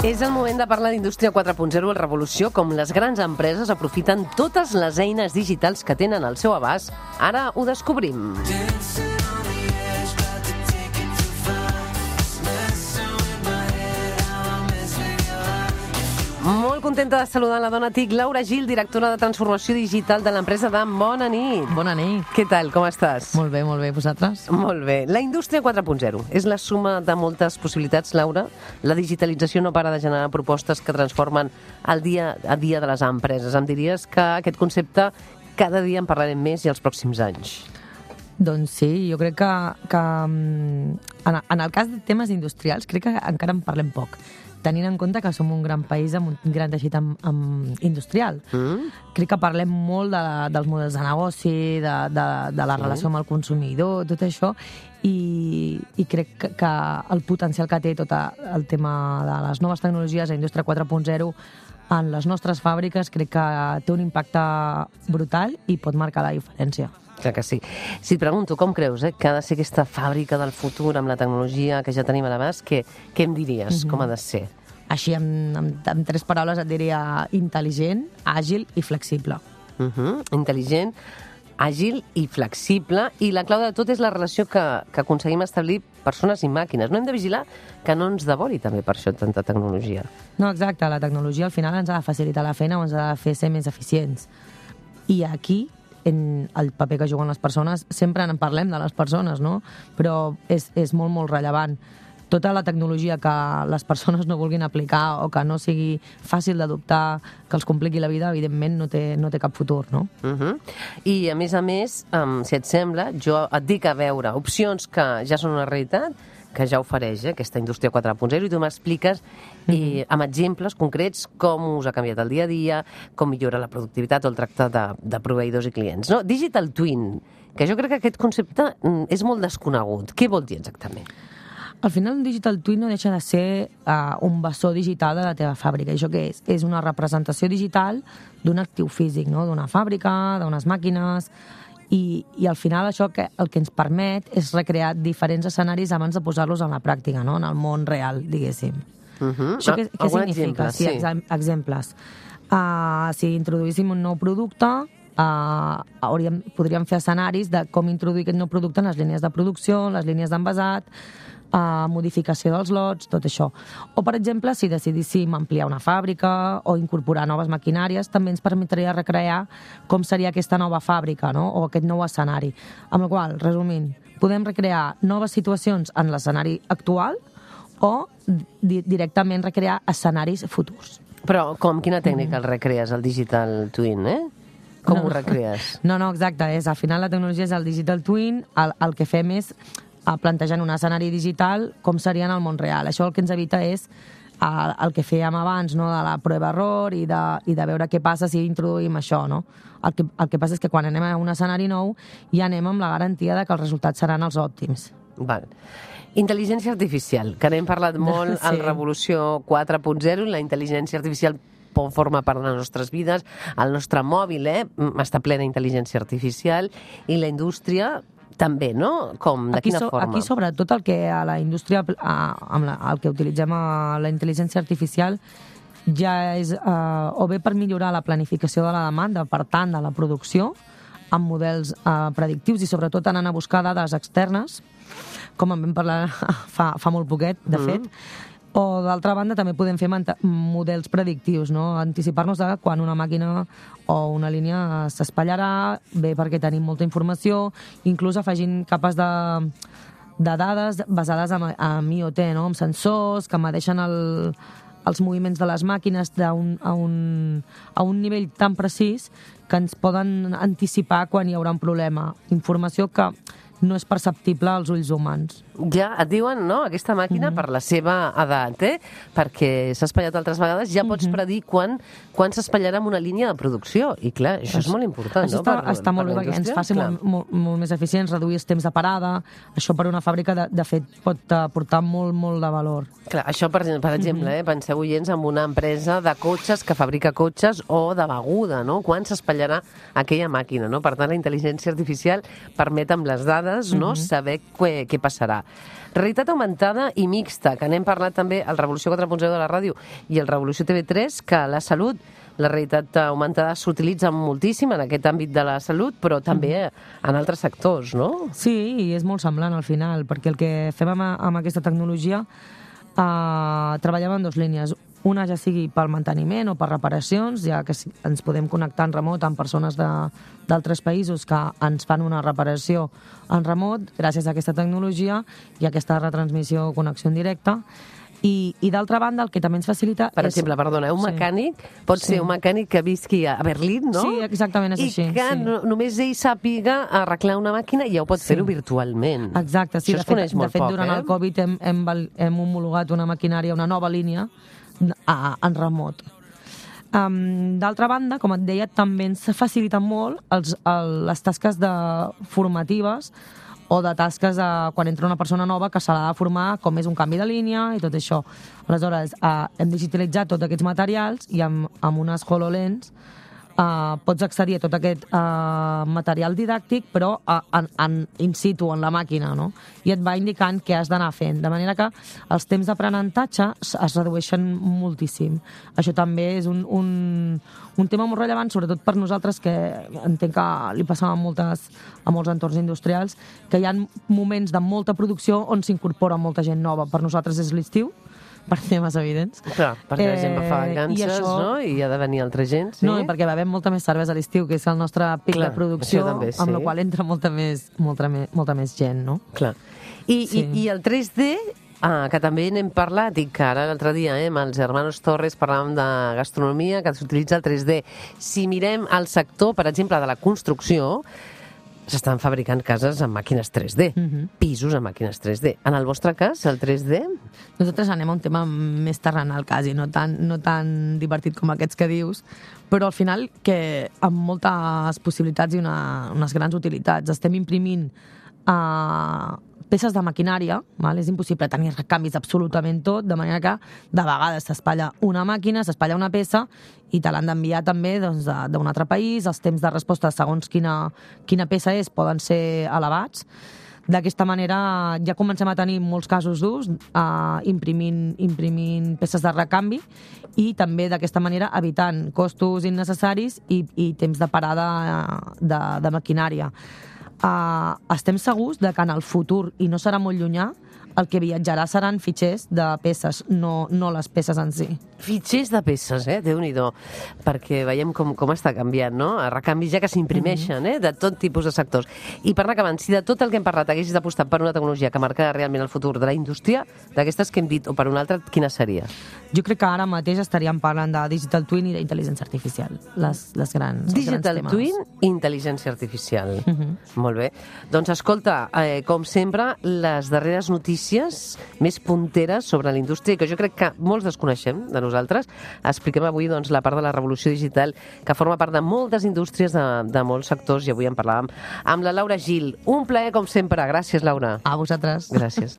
És el moment de parlar d'Indústria 4.0, el revolució, com les grans empreses aprofiten totes les eines digitals que tenen al seu abast. Ara ho descobrim. Molt contenta de saludar la dona TIC, Laura Gil, directora de Transformació Digital de l'empresa de Bona Nit. Bona nit. Què tal, com estàs? Molt bé, vosaltres? Molt bé. La indústria 4.0 és la suma de moltes possibilitats, Laura. La digitalització no para de generar propostes que transformen el dia a dia de les empreses. Em diries que aquest concepte cada dia en parlarem més i els pròxims anys. Doncs sí, jo crec que en el cas de temes industrials crec que encara en parlem poc, tenint en compte que som un gran país amb un gran teixit industrial. Crec que parlem molt dels models de negoci, de la relació amb el consumidor, tot això, i crec que el potencial que té tot el tema de les noves tecnologies, la indústria 4.0, en les nostres fàbriques, crec que té un impacte brutal i pot marcar la diferència. Clar que sí. Si et pregunto, com creus que ha de ser aquesta fàbrica del futur amb la tecnologia que ja tenim a l'abast, què em diries? Com ha de ser? Així, amb 3 paraules et diria intel·ligent, àgil i flexible. Intel·ligent, àgil i flexible. I la clau de tot és la relació que aconseguim establir persones i màquines. No hem de vigilar que no ens devori també per això tanta tecnologia. No, exacte. La tecnologia al final ens ha de facilitar la feina o ens ha de fer ser més eficients. I aquí, en el paper que juguen les persones, sempre en parlem de les persones, no? Però és molt, molt rellevant. Tota la tecnologia que les persones no vulguin aplicar o que no sigui fàcil d'adoptar, que els compliqui la vida, evidentment no té cap futur, no? I, a més, si et sembla, jo et dic a veure opcions que ja són una realitat, que ja ofereix aquesta indústria 4.0, i tu m'expliques amb exemples concrets com us ha canviat el dia a dia, com millora la productivitat o el tracte de proveïdors i clients. No? Digital Twin, que jo crec que aquest concepte és molt desconegut. Què vol dir exactament? Al final, un Digital Twin no deixa de ser un bessó digital de la teva fàbrica. I això què és? És una representació digital d'un actiu físic, no? D'una fàbrica, d'unes màquines. I al final això el que ens permet és recrear diferents escenaris abans de posar-los en la pràctica, no? En el món real, diguéssim. Això què significa? Sí, exemples. Si introduíssim un nou producte, podríem fer escenaris de com introduir aquest nou producte en les línies de producció, en les línies d'envasat, modificació dels lots, tot això. O, per exemple, si decidíssim ampliar una fàbrica o incorporar noves maquinàries, també ens permetria recrear com seria aquesta nova fàbrica, no? O aquest nou escenari. Amb la qual, resumint, podem recrear noves situacions en l'escenari actual o directament recrear escenaris futurs. Però quina tècnica el recrees, el Digital Twin, Com ho recrees? No, exacte. Al final la tecnologia és el Digital Twin, el que fem és plantejant un escenari digital com seria en el món real. Això el que ens evita és el que fèiem abans, no? De la prova-error i de veure què passa si introduïm això, no? El que passa és que quan anem a un escenari nou ja anem amb la garantia de que els resultats seran els òptims. Val. Intel·ligència artificial, que n'hem parlat molt en Revolució 4.0, la intel·ligència artificial forma part de les nostres vides, el nostre mòbil està plena d'intel·ligència artificial i la indústria també, no? Com? De quina forma? Aquí, sobretot, el que a la indústria, el que utilitzem a la intel·ligència artificial ja és o bé per millorar la planificació de la demanda, per tant, de la producció, amb models predictius i sobretot anant a buscar dades externes, com en vam parlar fa molt poquet, de fet, o, d'altra banda, també podem fer models predictius, no? Anticipar-nos de quan una màquina o una línia s'espatllarà, bé perquè tenim molta informació, inclús afegint capes de dades basades en IoT, no? Amb sensors que medeixen els moviments de les màquines a un nivell tan precís que ens poden anticipar quan hi haurà un problema. Informació que no és perceptible als ulls humans. Ja et diuen, no?, aquesta màquina, per la seva edat, perquè s'ha espatllat altres vegades, ja pots predir quan s'espatllarà en una línia de producció. I clar, això és molt important, no? Està molt bé perquè ens faci molt més eficients, reduir els temps de parada. Això per una fàbrica, de fet, pot aportar molt, molt de valor. Clar, això, per exemple, penseu, oients, en una empresa de cotxes que fabrica cotxes o de beguda, no? Quan s'espatllarà aquella màquina, no? Per tant, la intel·ligència artificial permet amb les dades dades, no? Saber què passarà. Realitat augmentada i mixta, que n'hem parlat també al Revolució 4.0 de la ràdio i el Revolució TV3, que la salut, la realitat augmentada s'utilitza moltíssim en aquest àmbit de la salut, però també en altres sectors, no? Sí, i és molt semblant al final, perquè el que fem amb aquesta tecnologia treballem en dues línies. Una ja sigui pel manteniment o per reparacions, ja que ens podem connectar en remot amb persones d'altres països que ens fan una reparació en remot gràcies a aquesta tecnologia i a aquesta retransmissió o connexió en directe. I d'altra banda, el que també ens facilita per exemple, perdona, un mecànic pot ser un mecànic que visqui a Berlín, no? Sí, exactament, és així. I que només ell sàpiga arreglar una màquina i ja ho pot fer-ho virtualment. Exacte, sí. Això es coneix molt poc, durant el Covid hem homologat una maquinària, una nova línia en remot. D'altra banda, com et deia, també ens faciliten molt les tasques formatives o de tasques quan entra una persona nova que se l'ha de formar, com és un canvi de línia i tot això. Aleshores, hem digitalitzat tots aquests materials i amb unes HoloLens pots accedir a tot aquest material didàctic, però in situ, en la màquina, no? I et va indicant què has d'anar fent. De manera que els temps d'aprenentatge es redueixen moltíssim. Això també és un tema molt rellevant, sobretot per nosaltres, que entenc que li passava a molts entorns industrials, que hi ha moments de molta producció on s'incorpora molta gent nova. Per nosaltres és l'estiu, per temes evidents. Clar, perquè la gent fa vacances, no? I ha de venir altra gent, sí? No, i perquè bevem molta més cervesa a l'estiu, que és el nostre pic de producció, amb la qual entra molta més gent, no? Clar. I el 3D, que també n'hem parlat, i que ara l'altre dia amb els hermanos Torres parlàvem de gastronomia, que s'utilitza el 3D. Si mirem el sector, per exemple, de la construcció, s'estan fabricant cases amb màquines 3D, pisos amb màquines 3D. En el vostre cas, el 3D? Nosaltres anem a un tema més terrenal, quasi, no tan divertit com aquests que dius, però al final que amb moltes possibilitats i unes grans utilitats. Estem imprimint peces de maquinària, és impossible tenir recanvis absolutament tot, de manera que de vegades s'espatlla una màquina, s'espatlla una peça i te l'han d'enviar també d'un altre país. Els temps de resposta, segons quina peça és, poden ser elevats. D'aquesta manera ja comencem a tenir molts casos d'ús imprimint peces de recanvi i també d'aquesta manera evitant costos innecessaris i temps de parada de maquinària. Estem segurs de que en el futur, i no serà molt llunyà, el que viatjarà seran fitxers de peces, no les peces en si. Fitxers de peces, Déu-n'hi-do, perquè veiem com està canviant, no? A recanvis ja que s'imprimeixen, de tot tipus de sectors. I per anar acabant, si de tot el que hem parlat haguessis d'apostar per una tecnologia que marca realment el futur de la indústria, d'aquestes que hem dit, o per una altra, quina seria? Jo crec que ara mateix estaríem parlant de digital twin i d'intel·ligència artificial, les grans temes. Digital twin i intel·ligència artificial. Molt bé. Doncs escolta, com sempre, les darreres notícies més punteres sobre la indústria, que jo crec que molts desconeixem de nosaltres. Expliquem avui la part de la revolució digital que forma part de moltes indústries, de molts sectors, i avui en parlàvem amb la Laura Gil. Un plaer, com sempre. Gràcies, Laura. A vosaltres. Gràcies.